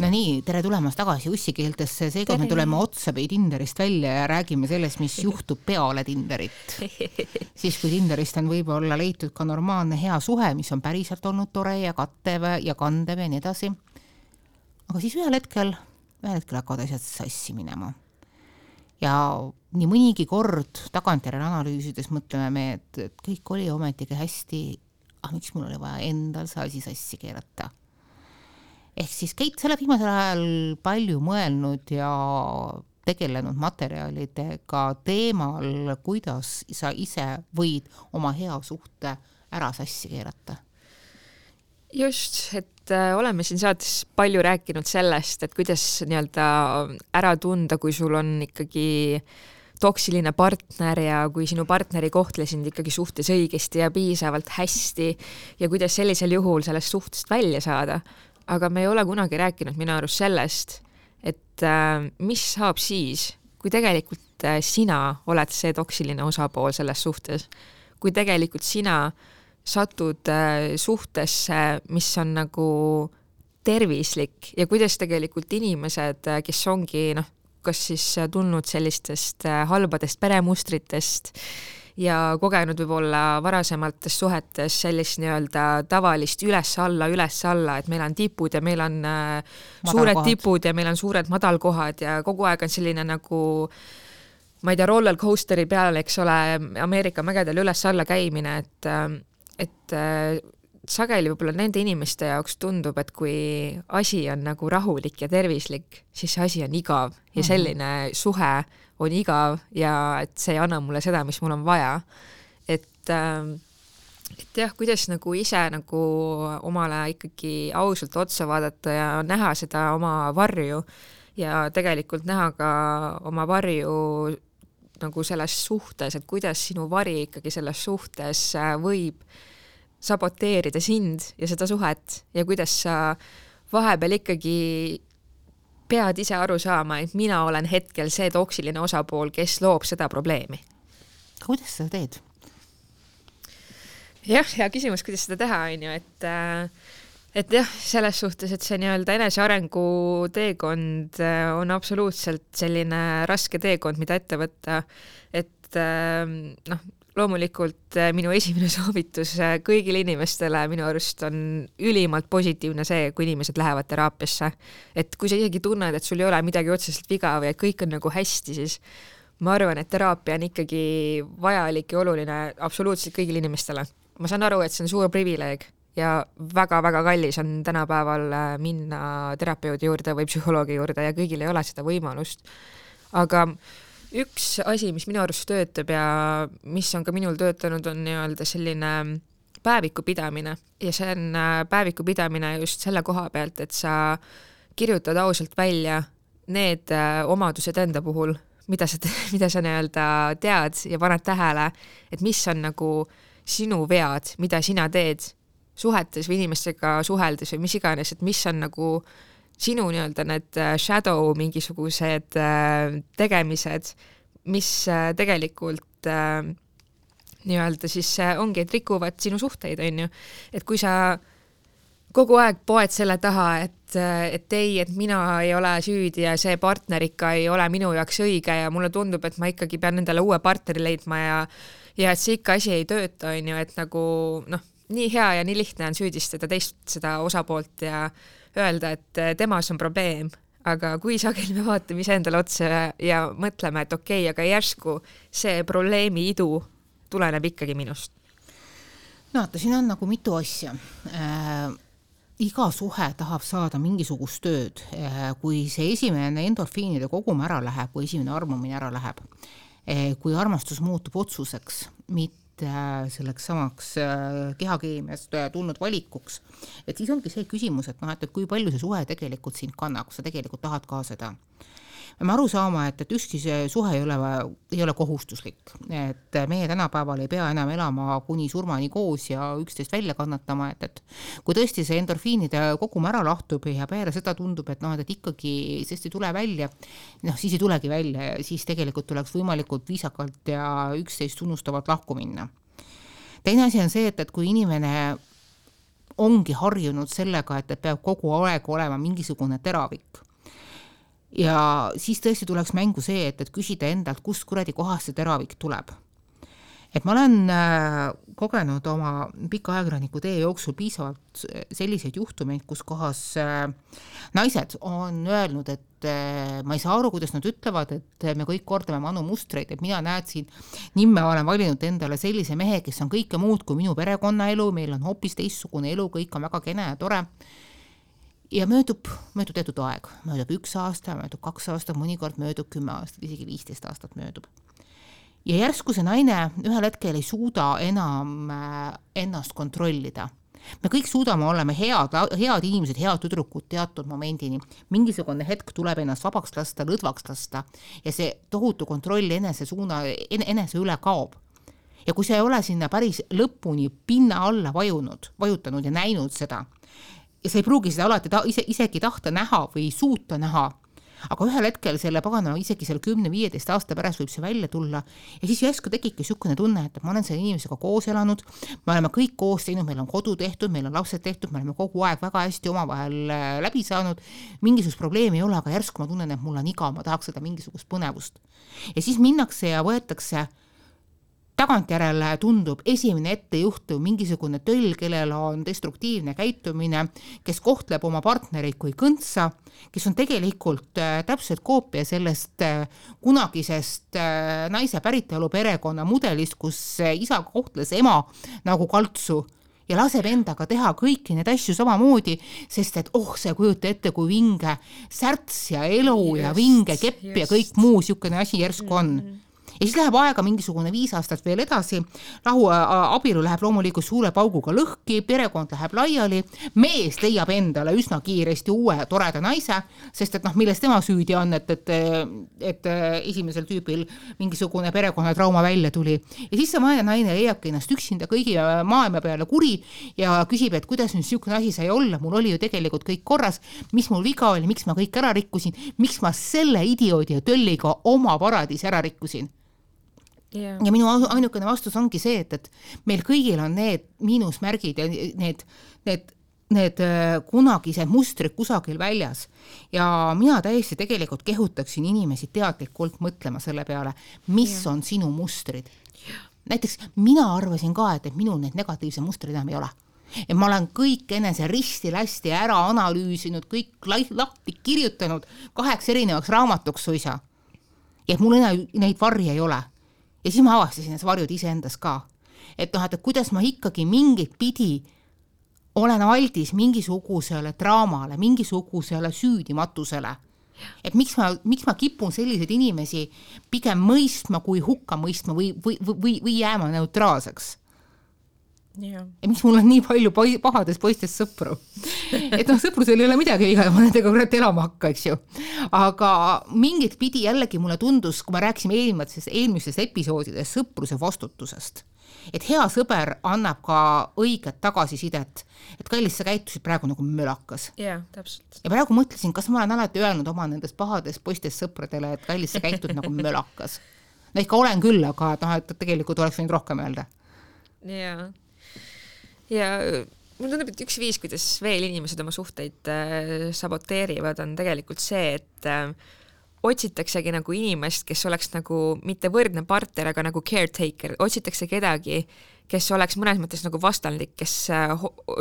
No nii, tere tulemast tagasi ussikeeltesse, seega me tuleme otsapidi Tinderist välja ja räägime sellest, mis juhtub peale Tinderit. Siis kui Tinderist on võib-olla leitud ka normaalne hea suhe, mis on päriselt olnud tore ja kattev ja kandev ja nii edasi. Aga siis ühel hetkel hakkavad asjad sassi minema. Ja nii mõnigi kord tagantjärele analüüsides mõtleme me, et kõik oli ometigi hästi, miks mul oli vaja endal see asi sassi keerata. Ehk siis Keit selle viimasel ajal palju mõelnud ja tegelenud materjalidega teemal, kuidas sa ise võid oma hea suhte ära sassi keerata. Just, et oleme siin saates palju rääkinud sellest, et kuidas nii-öelda ära tunda, kui sul on ikkagi toksiline partner ja kui sinu partneri kohtle sind ikkagi suhtes õigesti ja piisavalt hästi ja kuidas sellisel juhul sellest suhtest välja saada. Aga me ei ole kunagi rääkinud minu arust sellest, et mis saab siis, kui tegelikult sina oled see toksiline osapool selles suhtes. Kui tegelikult sina satud suhtesse, mis on nagu tervislik ja kuidas tegelikult inimesed, kes ongi kas siis tulnud sellistest halbadest peremustritest ja kogenud võib-olla varasemaltes suhetes sellist nii-öelda tavalist üles-alla, et meil on tipud ja meil on suured tipud ja meil on suured madalkohad ja kogu aeg on selline nagu, ma ei tea, roller coasteri peal, eks ole, Ameerika mägedel üles-alla käimine, et sageli võib-olla nende inimeste jaoks tundub, et kui asi on nagu rahulik ja tervislik, siis see asi on igav ja selline suhe on igav ja et see ei anna mulle seda, mis mul on vaja. Et jah, kuidas nagu ise nagu omale ikkagi ausalt otsa vaadata ja näha seda oma varju ja tegelikult näha ka oma varju nagu selles suhtes, et kuidas sinu vari ikkagi selles suhtes võib saboteerida sind ja seda suhet ja kuidas sa vahepeal ikkagi pead ise aru saama, et mina olen hetkel see toksiline osapool, kes loob seda probleemi. Kuidas seda teed? Jah, hea küsimus, kuidas seda teha, on ju, et jah, selles suhtes, et see nii-öelda enesearengu teekond on absoluutselt selline raske teekond, mida ette võtta, et loomulikult minu esimene soovitus kõigile inimestele minu arust on ülimalt positiivne see, kui inimesed lähevad teraapiasse. Et kui sa isegi tunned, et sul ei ole midagi otseselt viga või et kõik on nagu hästi, siis ma arvan, et teraapia on ikkagi vajalik ja oluline absoluutselt kõigile inimestele. Ma saan aru, et see on suur privileeg ja väga-väga kallis on tänapäeval minna terapeudi juurde või psühholoogi juurde ja kõigil ei ole seda võimalust. Aga üks asi, mis minu arust töötab ja mis on ka minul töötanud, on nii-öelda selline päeviku pidamine ja see on päeviku pidamine just selle koha pealt, et sa kirjutad ausalt välja need omadused enda puhul, mida sa nii-öelda tead ja paned tähele, et mis on nagu sinu vead, mida sina teed suhetes või inimestega suheldes või mis iganes, et mis on nagu sinu nii-öelda need shadow mingisugused tegemised, mis tegelikult nii-öelda siis ongi, et rikuvad sinu suhteid, on ju. Et kui sa kogu aeg poed selle taha, et ei, et mina ei ole süüdi ja see partner ikka ei ole minu jaoks õige ja mulle tundub, et ma ikkagi pean endale uue partneri leidma ja et see ikka asi ei tööta, on ju, et nagu nii hea ja nii lihtne on süüdistada teist seda osapoolt ja öelda, et temas on probleem, aga kui sageli me vaatame ise endale otsa ja mõtleme, et okei, aga järsku see probleemi idu tuleneb ikkagi minust. No, siin on nagu mitu asja. Iga suhe tahab saada mingisugust tööd, kui see esimene endorfiinide kogum ära läheb, kui esimene armumine ära läheb, kui armastus muutub otsuseks, mitte selleks samaks kehakeemiast tulnud valikuks. Et siis ongi see küsimus, et kui palju see suhe tegelikult sind kannab, kui sa tegelikult tahad ka seda. Me aru saama, et ükski see suhe ei ole kohustuslik. Et meie tänapäeval ei pea enam elama kuni surmani koos ja üksteist välja kannatama, et kui tõesti see endorfiinide kogum ära lahtub ja peale seda tundub, et ikkagi sest ei tule välja, siis ei tulegi välja ja siis tegelikult tuleks võimalikult viisakalt ja üksteist tunnustavalt lahku minna. Teine asi on see, et kui inimene ongi harjunud sellega, et peab kogu aeg olema mingisugune teravik. Ja siis tõesti tuleks mängu see, et küsida endalt, kust kuradi kohast see teravik tuleb. Et ma olen kogenud oma pika ajakirjaniku tee jooksul piisavalt selliseid juhtumeid, kus kohas naised on öelnud, et ma ei saa aru, kuidas nad ütlevad, et me kõik kordame manu mustreid, et mina näed siin, nimme olen valinud endale sellise mehe, kes on kõike muud kui minu perekonnaelu, meil on hoopis teistsugune elu, kõik on väga kene ja tore. Ja möödub teatud aeg, möödub 1 aasta, möödub 2 aastat, mõnikord möödub 10 aastat, isegi 15 aastat möödub. Ja järsku see naine ühel hetkel ei suuda enam ennast kontrollida. Me kõik suudame olema head inimesed, head tüdrukud teatud momendini. Mingisugune hetk tuleb ennast vabaks lasta, lõdvaks lasta ja see tohutu kontroll enese üle kaob. Ja kui see ei ole sinna päris lõpuni pinna alla vajutanud ja näinud seda, ja sa ei pruugi seda alati isegi tahta näha või suuta näha, aga ühel hetkel selle paganama isegi selle 10-15 aasta pärast võib see välja tulla ja siis järsku tekibki niisugune tunne, et ma olen selle inimesega koos elanud, me oleme kõik koos teinud, meil on kodu tehtud, meil on lapsed tehtud, me oleme kogu aeg väga hästi omavahel läbi saanud, mingisugust probleemi ei ole, aga järsku ma tunnen, et mul on iga, ma tahaks seda mingisugust põnevust. Ja siis minnakse ja võetakse tagantjärele tundub esimene ettejuhtu mingisugune töll, kellel on destruktiivne käitumine, kes kohtleb oma partnereid kui kõntsa, kes on tegelikult täpselt koopia sellest kunagisest naise päritolu perekonna mudelist, kus isa kohtles ema nagu kaltsu ja laseb endaga teha kõiki need asju samamoodi, sest et see kujuta ette, kui vinge särts ja elu ja vinge kepp ja kõik muu siukene asi järsku on. Ja siis läheb aega mingisugune 5 aastat veel edasi, abielu läheb loomulikult suure pauguga lõhki, perekond läheb laiali, mees leiab endale üsna kiiresti uue toreda naise, sest et milles tema süüdi on, et esimesel tüübil mingisugune perekonnatrauma välja tuli. Ja siis see vaene naine leiabki ennast üksinda kõigi maailma peale kuri ja küsib, et kuidas nüüd niisugune asi sai olla, mul oli ju tegelikult kõik korras, mis mul viga oli, miks ma kõik ära rikkusin, miks ma selle idioodi ja tölliga oma paradis ära rikkusin. Yeah. Ja minu ainukene vastus ongi see, et meil kõigil on need miinusmärgid ja need kunagised mustrid kusagil väljas. Ja mina täiesti tegelikult kehutaksin inimesi teadlikult mõtlema selle peale, mis on sinu mustrid. Näiteks mina arvasin ka, et minul need negatiivse mustrid enam ei ole. Ja ma olen kõik enese risti-lästi ära analüüsinud, kõik lahti kirjutanud 8 erinevaks raamatuks suisa. Ja mul neid varje ei ole. Ja siis ma avastasin need varjud iseendas ka. Et kuidas ma ikkagi mingit pidi olen aldis mingisugusele draamale, mingisugusele süüdimatusele. Et miks ma kipun selliseid inimesi pigem mõistma kui hukka mõistma või jääma neutraalseks. Ja miks mul on nii palju pahadest poistest sõpru. Et sõprusel ei ole midagi viga, ma nendega kurat elama hakka, eks ju. Aga mingit pidi jällegi mulle tundus, kui ma rääkisime eelmistes episoodides sõpruse vastutusest, et hea sõber annab ka õiget tagasisidet, et kallis sa käitusid praegu nagu mölakas. Täpselt. Ja praegu mõtlesin, kas ma olen alati öelnud oma nendest pahadest poistest sõpradele, et kallis sa käitud nagu mölakas. No ikka olen küll, aga et tegelikult oleks võinud rohkem öelda. Ja mul tundub, et üks viis, kuidas veel inimesed oma suhteid saboteerivad, on tegelikult see, et otsitaksegi nagu inimest, kes oleks nagu mitte võrdne partner, aga nagu caretaker, otsitakse kedagi, kes oleks mõnes mõttes nagu vastandlik, kes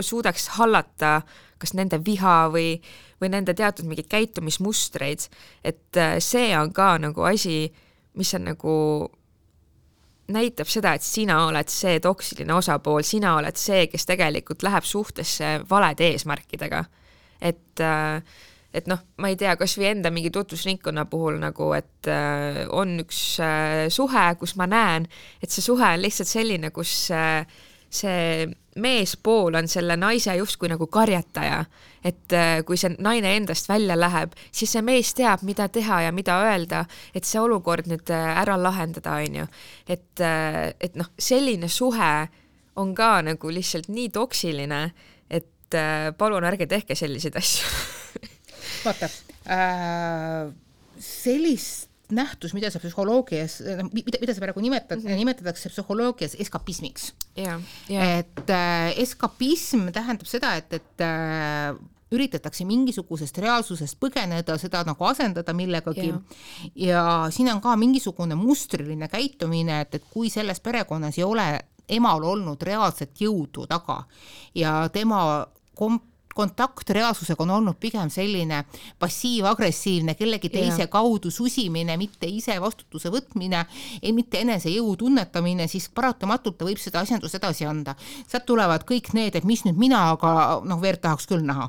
suudaks hallata kas nende viha või nende teatud mingid käitumismustreid, et see on ka nagu asi, mis on nagu näitab seda, et sina oled see toksiline osapool, sina oled see, kes tegelikult läheb suhtesse valede eesmärkidega. Et ma ei tea, kas või enda mingi tutvusringkonna puhul nagu, et on üks suhe, kus ma näen, et see suhe on lihtsalt selline, kus see meespool on selle naise justkui nagu karjataja, et kui see naine endast välja läheb, siis see mees teab, mida teha ja mida öelda, et see olukord nüüd ära lahendada, on ju. Et selline suhe on ka nagu lihtsalt nii toksiline, et palun ärge tehke selliseid asju. Vaata, sellist nähtus, mida see psühholoogias, mida see praegu nimetatakse psühholoogias eskapismiks. Et eskapism tähendab seda, et üritatakse mingisugusest reaalsusest põgeneda, seda nagu asendada millegagi ja siin on ka mingisugune mustriline käitumine, et kui selles perekonnas ei ole emal olnud reaalset jõudu taga ja tema kontakt reaalsusega on olnud pigem selline passiiv-agressiivne, kellegi teise kaudu susimine, mitte ise vastutuse võtmine, mitte enese jõu tunnetamine, siis paratamatult ta võib seda asjandust edasi anda. Sealt tulevad kõik need, et mis nüüd mina, aga verd tahaks küll näha.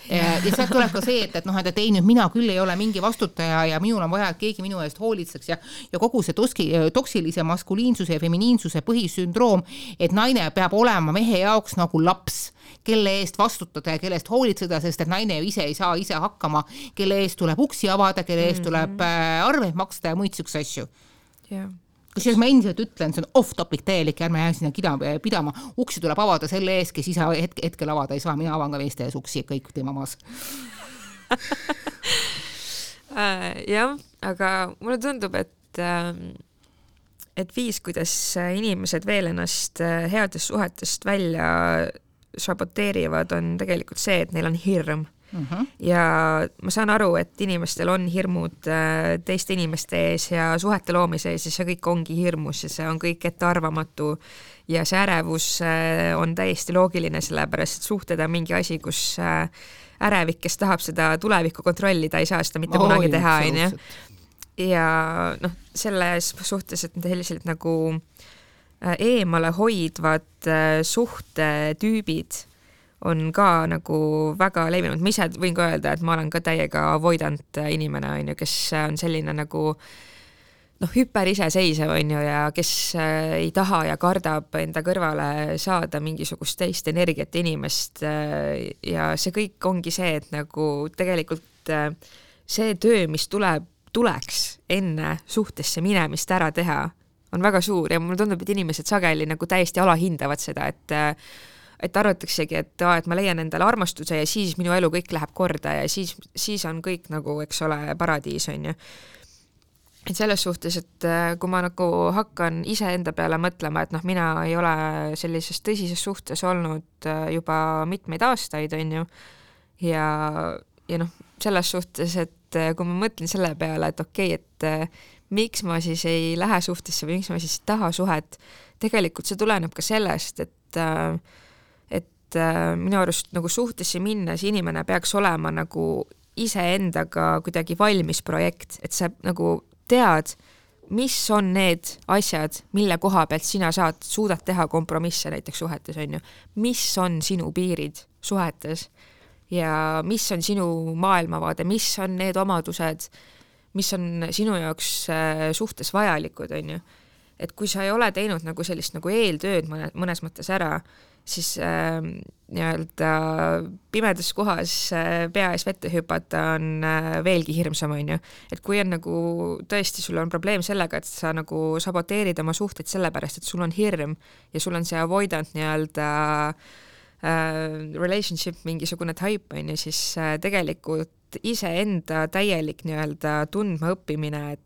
Ja sealt tuleb ka see, et ei nüüd mina küll ei ole mingi vastutaja ja minul on vaja, et keegi minu eest hoolitseks ja kogu see toksilise maskuliinsuse ja feminiinsuse põhisündroom, et naine peab olema mehe jaoks nagu laps, kelle eest vastutada ja kelle eest hoolitseda, sest et naine ise ei saa ise hakkama, kelle eest tuleb uksi avada, kelle eest tuleb arveid maksta ja muid sükse asju. Kusjuures ma endiselt ütlen, see on off-topic täielik, ärme jää sinna pidama. Uksi tuleb avada selle ees, kes ise hetkel avada ei saa. Mina avan ka meeste ees uksi, kõik teema maas. Jah, aga mulle tundub, et viis, kuidas inimesed veel ennast headest suhetest välja saboteerivad, on tegelikult see, et neil on hirm. Ja ma saan aru, et inimestel on hirmud teiste inimeste ees ja suhete loomise ees ja see kõik ongi hirmus ja see on kõik ettearvamatu ja see ärevus on täiesti loogiline, sellepärast et suhted on mingi asi, kus ärevik, kes tahab seda tulevikku kontrollida, ei saa seda mitte kunagi teha. Ja selles suhtes, et selliselt nagu eemale hoidvad suhtetüübid on ka nagu väga levinud. Ma ise võin ka öelda, et ma olen ka täiega avoidant inimene, kes on selline nagu hüper iseseisev ja kes ei taha ja kardab enda kõrvale saada mingisugust teist energiat inimest ja see kõik ongi see, et nagu tegelikult see töö, mis tuleks enne suhtesse minemist ära teha, on väga suur ja mulle tundub, et inimesed sageli nagu täiesti alahindavad seda, et arvataksegi, et ma leian endale armastuse ja siis minu elu kõik läheb korda ja siis on kõik nagu, eks ole, paradiis on ju. Et selles suhtes, et kui ma nagu hakkan ise enda peale mõtlema, et mina ei ole sellises tõsises suhtes olnud juba mitmeid aastaid on ju ja selles suhtes, et kui ma mõtlen selle peale, et okei, et miks ma siis ei lähe suhtesse või miks ma siis taha suhet, tegelikult see tuleneb ka sellest, et minu arust nagu suhtesse minnes inimene peaks olema nagu iseendaga kuidagi valmis projekt, et sa nagu tead, mis on need asjad, mille koha pealt sina suudad teha kompromisse näiteks suhetes on ju, mis on sinu piirid suhetes ja mis on sinu maailmavaade, mis on need omadused, mis on sinu jaoks suhtes vajalikud on ju. Et kui sa ei ole teinud nagu sellist nagu eeltööd mõnes mõttes ära, siis nii-öelda pimedas kohas pea ees vette hüpata on veelgi hirmsam on ju. Et kui on nagu tõesti sul on probleem sellega, et sa nagu saboteerid oma suhteid sellepärast, et sul on hirm ja sul on see avoidant nii-öelda relationship mingisugune type on ju, siis tegelikult iseenda täielik nii-öelda tundma õppimine, et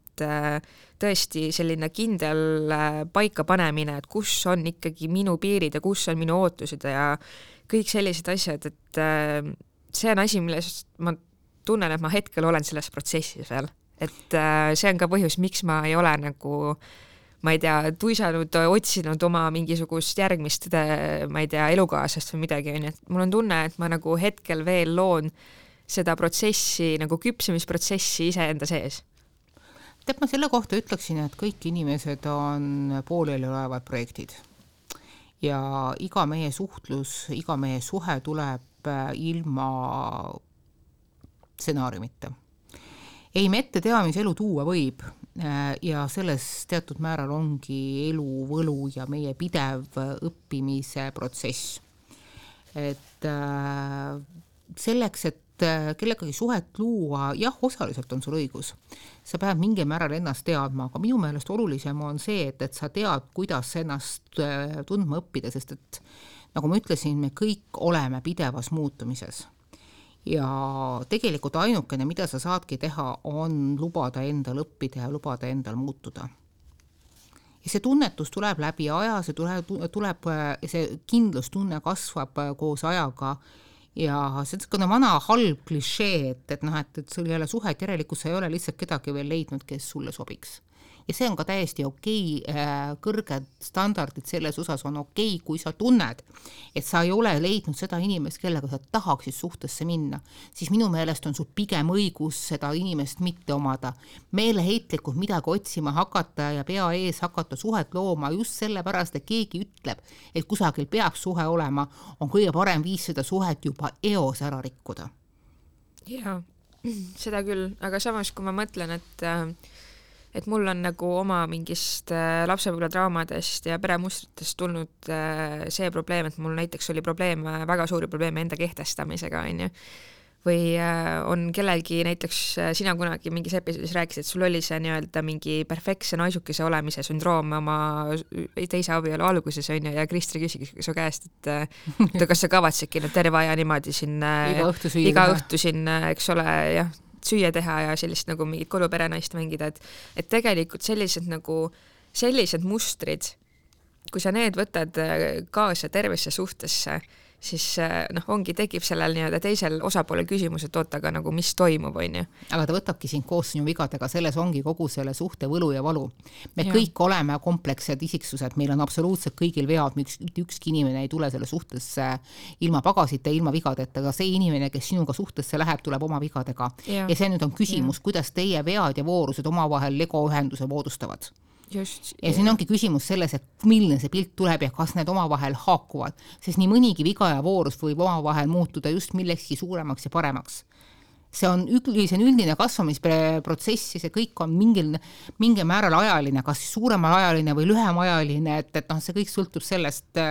tõesti selline kindel paika panemine, et kus on ikkagi minu piirid ja kus on minu ootused ja kõik sellised asjad, et see on asi, milles ma tunnen, et ma hetkel olen selles protsessis veel. Et see on ka põhjus, miks ma ei ole nagu, ma ei tea, tuisanud, otsinud oma mingisugust järgmist, ma ei tea, elukaasast või midagi. Et mul on tunne, et ma nagu hetkel veel loon seda protsessi, nagu küpsemisprotsessi iseenda sees. Tead, ma selle kohta ütleksin, et kõik inimesed on pooleli olevad projektid ja iga meie suhtlus, iga meie suhe tuleb ilma stsenaariumita. Ei me ette tea, mis elu tuua võib ja selles teatud määral ongi elu võlu ja meie pidev õppimise protsess. Et selleks, et kellegagi suhet luua, jah, osaliselt on sul õigus. Sa pead mingil määral ennast teadma, aga minu meelest olulisem on see, et sa tead, kuidas ennast tundma õppida, sest et nagu ma ütlesin, me kõik oleme pidevas muutumises. ja tegelikult ainukene, mida sa saadki teha, on lubada endal õppida ja lubada endal muutuda. Ja see tunnetus tuleb läbi aja, see kindlustunne kasvab koos ajaga ja see on vana halb klišee, et sul ei ole suhet, järelikult sa ei ole lihtsalt kedagi veel leidnud, kes sulle sobiks. Ja see on ka täiesti okei, kõrged standardid selles osas on okei, kui sa tunned, et sa ei ole leidnud seda inimest, kellega sa tahaksid suhtesse minna, siis minu meelest on sul pigem õigus seda inimest mitte omada. Meeleheitlikult midagi otsima hakata ja pea ees hakata suhet looma just sellepärast, et keegi ütleb, et kusagil peab suhe olema, on kõige parem viis seda suhet juba eos ära rikkuda. Jaa, seda küll, aga samas kui ma mõtlen, et mul on nagu oma mingist lapsepõlve draamadest ja peremustritest tulnud see probleem, et mul näiteks oli väga suuri probleeme enda kehtestamisega, on ju. Või on kellelgi, näiteks sina kunagi mingis episoodis rääkisid, et sul oli see nii-öelda mingi perfektse naisukese olemise sündroom oma teise abielu alguses, on ju, ja Kristri küsigi su käest, et kas sa kavatsedki nüüd terve aja niimoodi siin iga õhtu siin, eks ole, jah, süüa teha ja sellist nagu mingit koduperenaist mängida, et tegelikult sellised mustrid, kui sa need võtad kaasa tervesse suhtesse, siis tekib sellel nii-öelda teisel osapoolel küsimus, et oota, aga nagu mis toimub, on ju. Aga ta võtabki sind koos sinu vigadega, selles ongi kogu selle suhte võlu ja valu. Me kõik oleme komplekssed isiksused, meil on absoluutselt kõigil vead, ükski inimene ei tule selle suhtesse ilma pagasite, ilma vigadeta, aga see inimene, kes sinuga suhtesse läheb, tuleb oma vigadega. Ja see nüüd on küsimus, kuidas teie vead ja voorused omavahel Lego ühenduse moodustavad. Just, ja siin ongi küsimus selles, et milline see pilt tuleb ja kas need omavahel haakuvad, sest nii mõnigi viga ja voorus võib omavahel muutuda just millekski suuremaks ja paremaks. See on üldine kasvamisprotsess ja see kõik on mingil määral ajaline, kas suuremal ajaline või lühem ajaline, et see kõik sõltub sellest,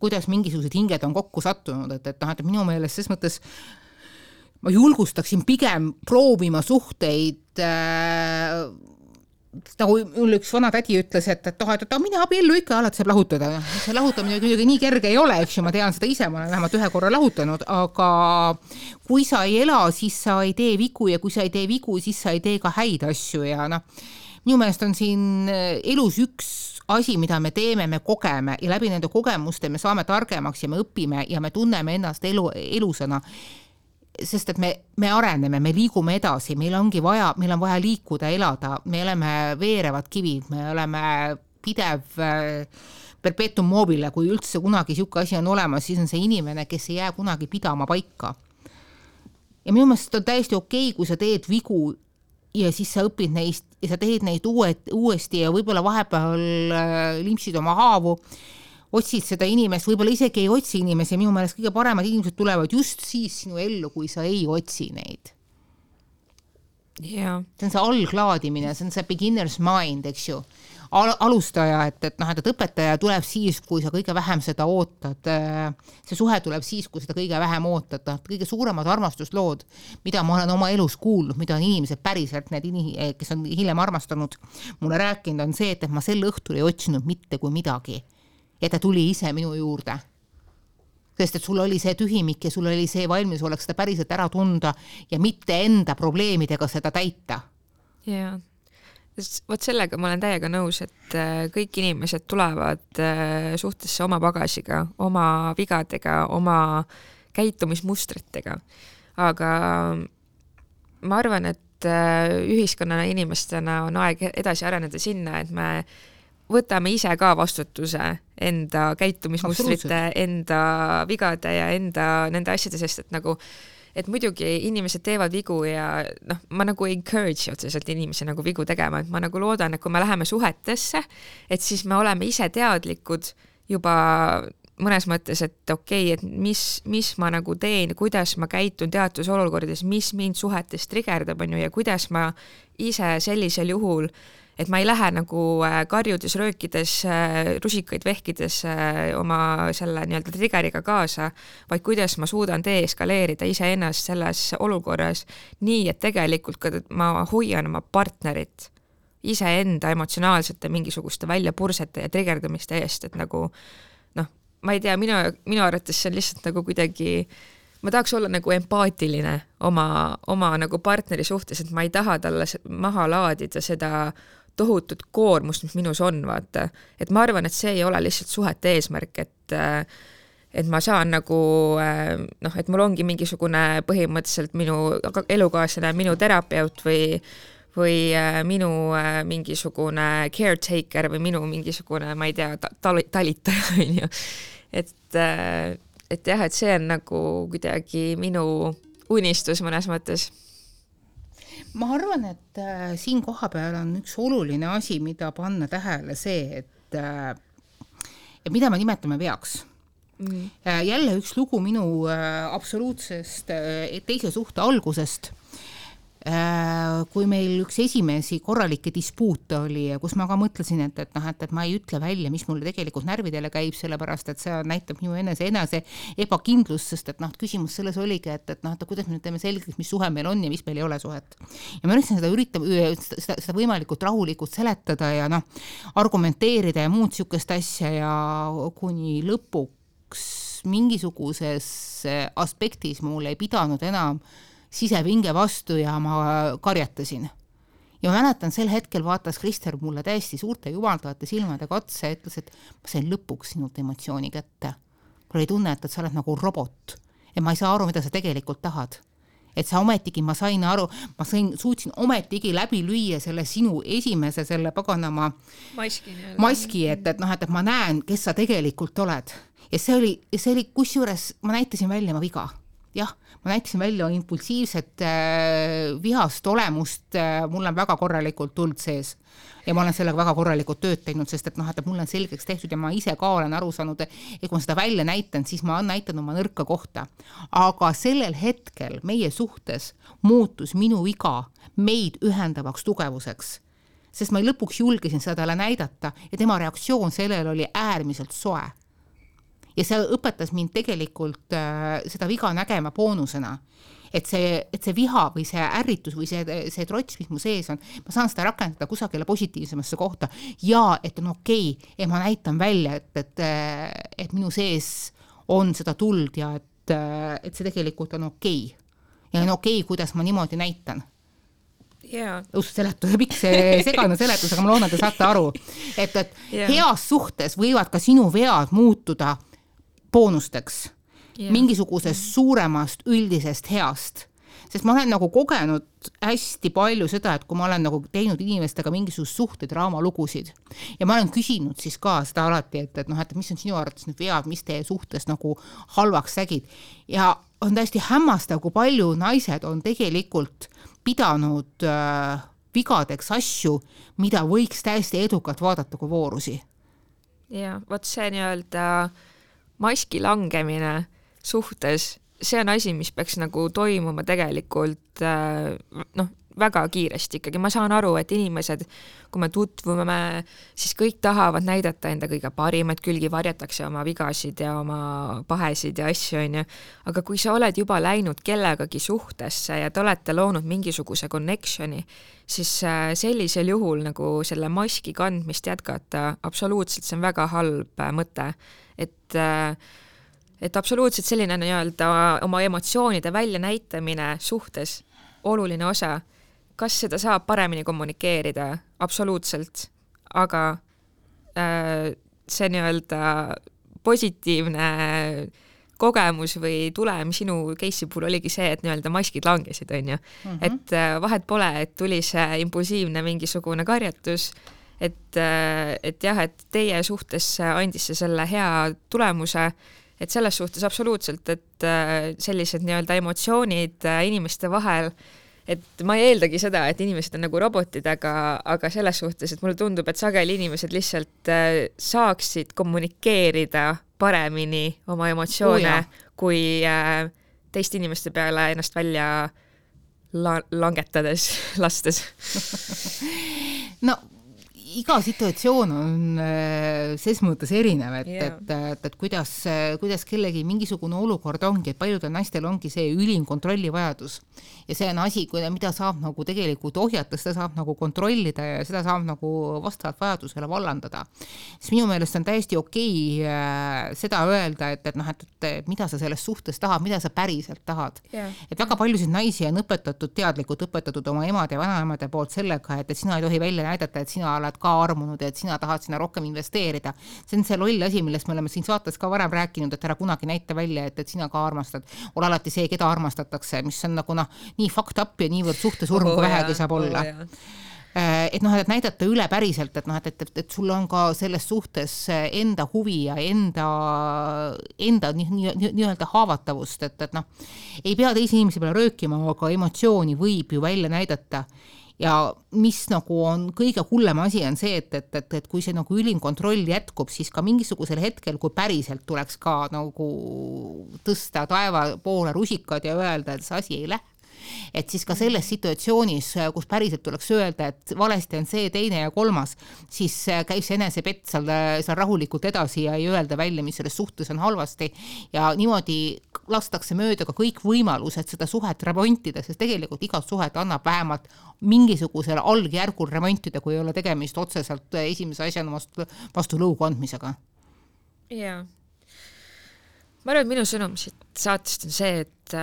kuidas mingisugused hinged on kokku sattunud, et minu meelest ses mõttes ma julgustaksin pigem proovima suhteid nagu mul üks vana tädi ütles, et mine abiellu ikka, alati saab lahutada. See lahutamine kuidagi nii kerge ei ole, eks ju, ma tean seda ise, ma olen vähemalt ühe korra lahutanud, aga kui sa ei ela, siis sa ei tee vigu ja kui sa ei tee vigu, siis sa ei tee ka häid asju ja minu meelest on siin elus üks asi, mida me teeme, me kogeme ja läbi nende kogemuste me saame targemaks ja me õpime ja me tunneme ennast elusana. Sest et me areneme, me liigume edasi, meil on vaja liikuda, elada, me oleme veerevad kivid, me oleme pidev perpetuum mobile, kui üldse kunagi siuke asi on olemas, siis on see inimene, kes ei jää kunagi pidama paika. Ja minu meelest on täiesti okei, kui sa teed vigu ja siis sa õpid neist ja sa teed neid uuesti ja võib-olla vahepeal limpsid oma haavu, otsid seda inimest, võib-olla isegi ei otsi inimesi, minu meelest kõige paremad inimesed tulevad just siis sinu ellu, kui sa ei otsi neid. Yeah. See on see alglaadimine, see on see beginner's mind, eks ju. Alustaja, et õpetaja tuleb siis, kui sa kõige vähem seda ootad. See suhe tuleb siis, kui seda kõige vähem ootad. Kõige suuremad armastuslood, mida ma olen oma elus kuulnud, mida on inimesed päriselt, need kes on hiljem armastanud, mulle rääkinud, on see, et ma sel õhtul ei otsinud mitte kui midagi. Ja ta tuli ise minu juurde. Sest et sul oli see tühimik ja sul oli see valmis oleks seda päriselt ära tunda ja mitte enda probleemidega seda täita. Jaa. Vot sellega ma olen täiega nõus, et kõik inimesed tulevad suhtesse oma bagasiga, oma vigadega, oma käitumismustritega. Aga ma arvan, et ühiskonnana inimestena on aeg edasi areneda sinna, et me võtame ise ka vastutuse enda käitumismustrite, enda vigade ja enda nende asjade, sest et muidugi inimesed teevad vigu ja ma nagu encourage otseselt inimesi nagu vigu tegema, et ma nagu loodan, et kui me läheme suhetesse, et siis me oleme ise teadlikud juba mõnes mõttes, et okei, et mis ma nagu teen, kuidas ma käitun teatud olukordades, mis mind suhetes trigerdab on ju, ja kuidas ma ise sellisel juhul et ma ei lähe nagu karjudes, röökides, rusikaid vehkides oma selle nii-öelda triggeriga kaasa, vaid kuidas ma suudan deeskaleerida iseennast selles olukorras nii, et tegelikult ka ma hoian oma partnerit iseenda emotsionaalsete mingisuguste väljapursete ja triggerdumiste eest, et nagu ma ei tea, minu arvates see on lihtsalt nagu kuidagi ma tahaks olla nagu empaatiline oma nagu partneri suhtes, et ma ei taha talle maha laadida seda tohutut koormust, mis minus on, vaata. Et ma arvan, et see ei ole lihtsalt suhete eesmärk, et ma saan nagu, noh, et mul ongi mingisugune põhimõtteliselt minu elukaaslane, minu terapeut või minu mingisugune caretaker või minu mingisugune, ma ei tea, talitaja, on ju. Et jah, et see on nagu kuidagi minu unistus mõnes mõttes. Ma arvan, et siin koha peal on üks oluline asi, mida panna tähele see, et mida me nimetame veaks. Jälle üks lugu minu absoluutsest teise suhte algusest, kui meil üks esimesi korralikke dispuute oli, kus ma ka mõtlesin, et ma ei ütle välja, mis mulle tegelikult närvidele käib, sellepärast, et see näitab minu enese ebakindlust, sest et küsimus selles oligi, et kuidas me nüüd teeme selgeks, mis suhe meil on ja mis meil ei ole suhet. Ja ma üritasin seda võimalikult rahulikult seletada ja argumenteerida ja muud sihukest asja ja kuni lõpuks mingisuguses aspektis mul ei pidanud enam sisepinge vastu ja ma karjatasin. Ja ma mäletan, sel hetkel vaatas Krister mulle täiesti suurte jumaldavate silmadega otsa ja ütles, et ma sain lõpuks sinult emotsiooni kätte. Mul ei tunne, et sa oled nagu robot. Ja ma ei saa aru, mida sa tegelikult tahad. Et sa ometigi, ma suutsin ometigi läbi lüüa selle sinu esimese selle paganama maski, et ma näen, kes sa tegelikult oled. Ja see oli kusjuures, ma näitasin välja ma viga. Jah, ma näitasin välja impulsiivset vihast olemust, mul on väga korralikult tuld sees ja ma olen sellega väga korralikult tööd teinud, sest et mul on selgeks tehtud ja ma ise ka olen aru saanud, et kui ma seda välja näitan, siis ma näitan oma nõrka kohta. Aga sellel hetkel meie suhtes muutus minu viga meid ühendavaks tugevuseks, sest ma lõpuks julgesin seda talle näidata ja tema reaktsioon sellel oli äärmiselt soe. Ja see õpetas mind tegelikult seda viga nägema boonusena, et see viha või see ärritus või see trots, mis mu sees on, ma saan seda rakendada kusagile positiivsemasse kohta ja et on okei, et ma näitan välja, et minu sees on seda tuld ja et see tegelikult on okei. Ja on okei, kuidas ma niimoodi näitan. Seletus, pikk see segane seletus, aga ma loodan, te saate aru, et heas suhtes võivad ka sinu vead muutuda boonusteks, mingisugusest suuremast üldisest heast. Sest ma olen nagu kogenud hästi palju seda, et kui ma olen nagu teinud inimestega mingisugust suhtedraama lugusid ja ma olen küsinud siis ka seda alati, et mis on sinu arvates nüüd vead, mis teie suhtes nagu halvaks sägid. Ja on täiesti hämmastav, kui palju naised on tegelikult pidanud vigadeks asju, mida võiks täiesti edukalt vaadata kui voorusi. Ja, vot see nii-öelda maski langemine suhtes, see on asi, mis peaks nagu toimuma tegelikult väga kiiresti ikkagi. Ma saan aru, et inimesed, kui me tutvume, siis kõik tahavad näidata enda kõige parimat külgi, varjatakse oma vigasid ja oma pahesid ja asju, on ju. Aga kui sa oled juba läinud kellegagi suhtesse ja te olete loonud mingisuguse connectioni, siis sellisel juhul nagu selle maski kandmist jätkata, absoluutselt see on väga halb mõte. Et absoluutselt selline nii-öelda oma emotsioonide välja näitamine suhtes oluline osa. Kas seda saab paremini kommunikeerida? Absoluutselt. Aga see nii-öelda positiivne kogemus või tulem sinu case'i puhul oligi see, et nii-öelda maskid langesid, on ju. Et vahet pole, et tuli see impulsiivne mingisugune karjatus, et jah, et teie suhtes andis see selle hea tulemuse, et selles suhtes absoluutselt, et sellised nii-öelda emotsioonid inimeste vahel, et ma ei eeldagi seda, et inimesed on nagu robotid, aga selles suhtes, et mulle tundub, et sageli inimesed lihtsalt saaksid kommunikeerida paremini oma emotsioone, kui teiste inimeste peale ennast välja langetades, lastes. No iga situatsioon on ses mõttes erinev, et kuidas kellegi mingisugune olukord ongi, et paljudel naistel ongi see ülim kontrollivajadus ja see on asi, mida saab nagu tegelikult ohjata, seda saab nagu kontrollida ja seda saab nagu vastavalt vajadusele vallandada. Siis minu meelest on täiesti okei seda öelda, et mida sa selles suhtes tahad, mida sa päriselt tahad. Et väga paljusid naisi on teadlikult õpetatud oma emade ja vanaemade poolt sellega, et sina ei tohi välja näidata, et sina oled ka armunud ja et sina tahad sinna rohkem investeerida. See on see loll asi, millest me oleme siin saates ka varem rääkinud, et ära kunagi näita välja, et sina ka armastad. Ole alati see, keda armastatakse, mis on nagu nii fucked up ja niivõrd suhtesurm, kui vähegi saab olla. Et näidata üle päriselt, et sul on ka selles suhtes enda huvi ja enda nii-öelda haavatavust, et ei pea teisi inimesi peale röökima, aga emotsiooni võib ju välja näidata. Ja mis nagu on kõige hullem asi on see, et kui see nagu ülim kontroll jätkub, siis ka mingisugusel hetkel, kui päriselt tuleks ka nagu tõsta taeva poole rusikad ja öelda, et see asi ei lähe. Et siis ka selles situatsioonis, kus päriselt tuleks öelda, et valesti on see, teine ja kolmas, siis käib see enesepett seal rahulikult edasi ja ei öelda välja, mis selles suhtes on halvasti ja niimoodi lastakse mööda ka kõik võimalused seda suhet remontida, sest tegelikult igat suhet annab vähemalt mingisugusel algjärgul remontida, kui ei ole tegemist otseselt esimese asjana vastu lõugu andmisega. Jaa. Ma arvan, et minu sõnum siit saatest on see, et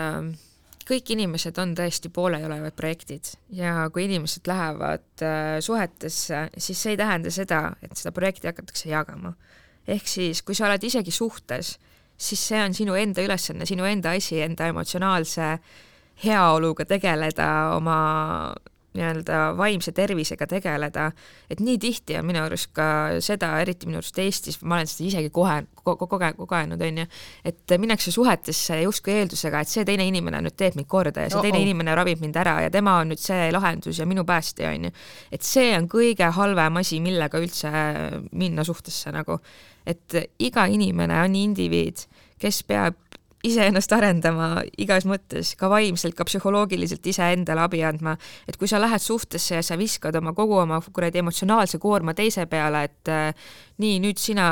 kõik inimesed on tõesti pooleolevad projektid ja kui inimesed lähevad suhetesse, siis see ei tähenda seda, et seda projekti hakatakse jagama. Ehk siis, kui sa oled isegi suhtes, siis see on sinu enda ülesanne, sinu enda asi, enda emotsionaalse heaoluga tegeleda, oma nii-öelda vaimse tervisega tegeleda, et nii tihti on minu arust ka seda, eriti minu arust Eestis, ma olen seda isegi kogenud, on ju, et minnakse suhetesse justkui eeldusega, et see teine inimene nüüd teeb mind korda ja see teine inimene ravib mind ära ja tema on nüüd see lahendus ja minu päästja, on ju. Et see on kõige halvem asi, millega üldse minna suhtesse nagu. Et iga inimene on indiviid, kes peab iseennast arendama igas mõttes, ka vaimselt, ka psühholoogiliselt ise endale abi andma. Et kui sa lähed suhtesse ja sa viskad kogu oma emotsionaalse koorma teise peale, et nii, nüüd sina,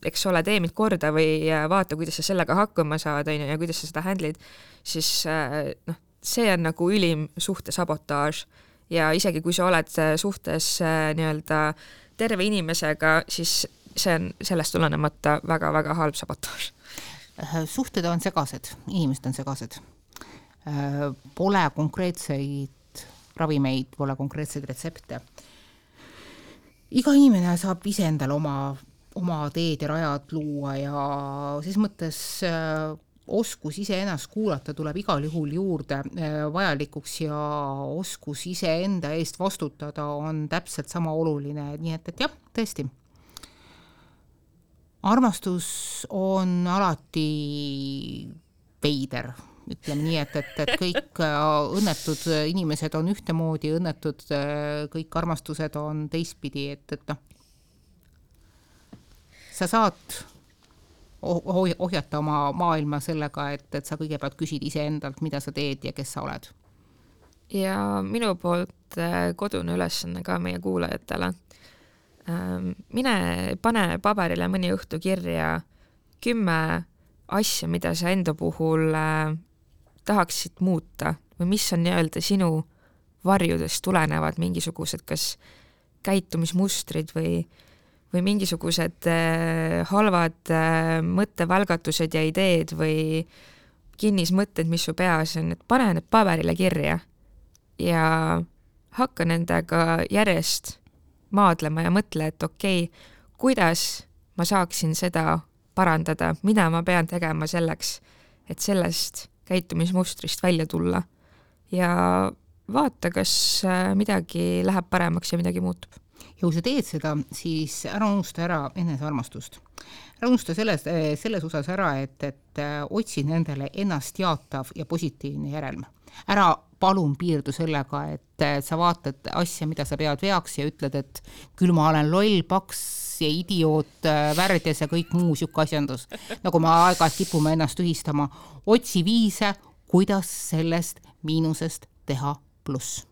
eks ole, tee mind korda või vaata, kuidas sa sellega hakkama saad ja kuidas sa seda handlid, siis see on nagu ülim suhte sabotaaž. Ja isegi kui sa oled suhtes nii-öelda terve inimesega, siis see on sellest tulenemata väga-väga halb sabotaaž. Suhted on segased, inimesed on segased. Pole konkreetseid ravimeid, pole konkreetseid retsepte. Iga inimene saab ise endale oma teed ja rajad luua ja siis mõttes oskus ise ennast kuulata tuleb igal juhul juurde vajalikuks ja oskus ise enda eest vastutada on täpselt sama oluline, nii et jah, tõesti. Armastus on alati veider, ütleme nii, et kõik õnnetud inimesed on ühtemoodi, õnnetud kõik armastused on teistpidi, et sa saad ohjata oma maailma sellega, et sa kõigepealt küsid ise endalt, mida sa teed ja kes sa oled. Ja minu poolt kodune ülesanne ka meie kuulajatele. Mine pane paberile mõni õhtu kirja 10 asja, mida sa enda puhul tahaksid muuta või mis on nii-öelda sinu varjudest tulenevad mingisugused kas käitumismustrid või mingisugused halvad mõttevälgatused ja ideed või kinnismõtted, mis su peas on, et pane need paberile kirja ja hakka nendega järjest maadlema ja mõtle, et okei, kuidas ma saaksin seda parandada, mida ma pean tegema selleks, et sellest käitumismustrist välja tulla ja vaata, kas midagi läheb paremaks ja midagi muutub. Ja kui sa teed seda, siis ära unusta ära enesearmastust. Ära unusta selles osas ära, et otsi nendele ennast jaatav ja positiivne järelm. Ära palun piirdu sellega, et sa vaatad asja, mida sa pead veaks ja ütled, et küll ma olen loll, paks ja idioot, värdjas ja kõik muu siuke asjandus. Nagu ma aeg-ajalt kipume ennast ühistama. Otsi viise, kuidas sellest miinusest teha pluss.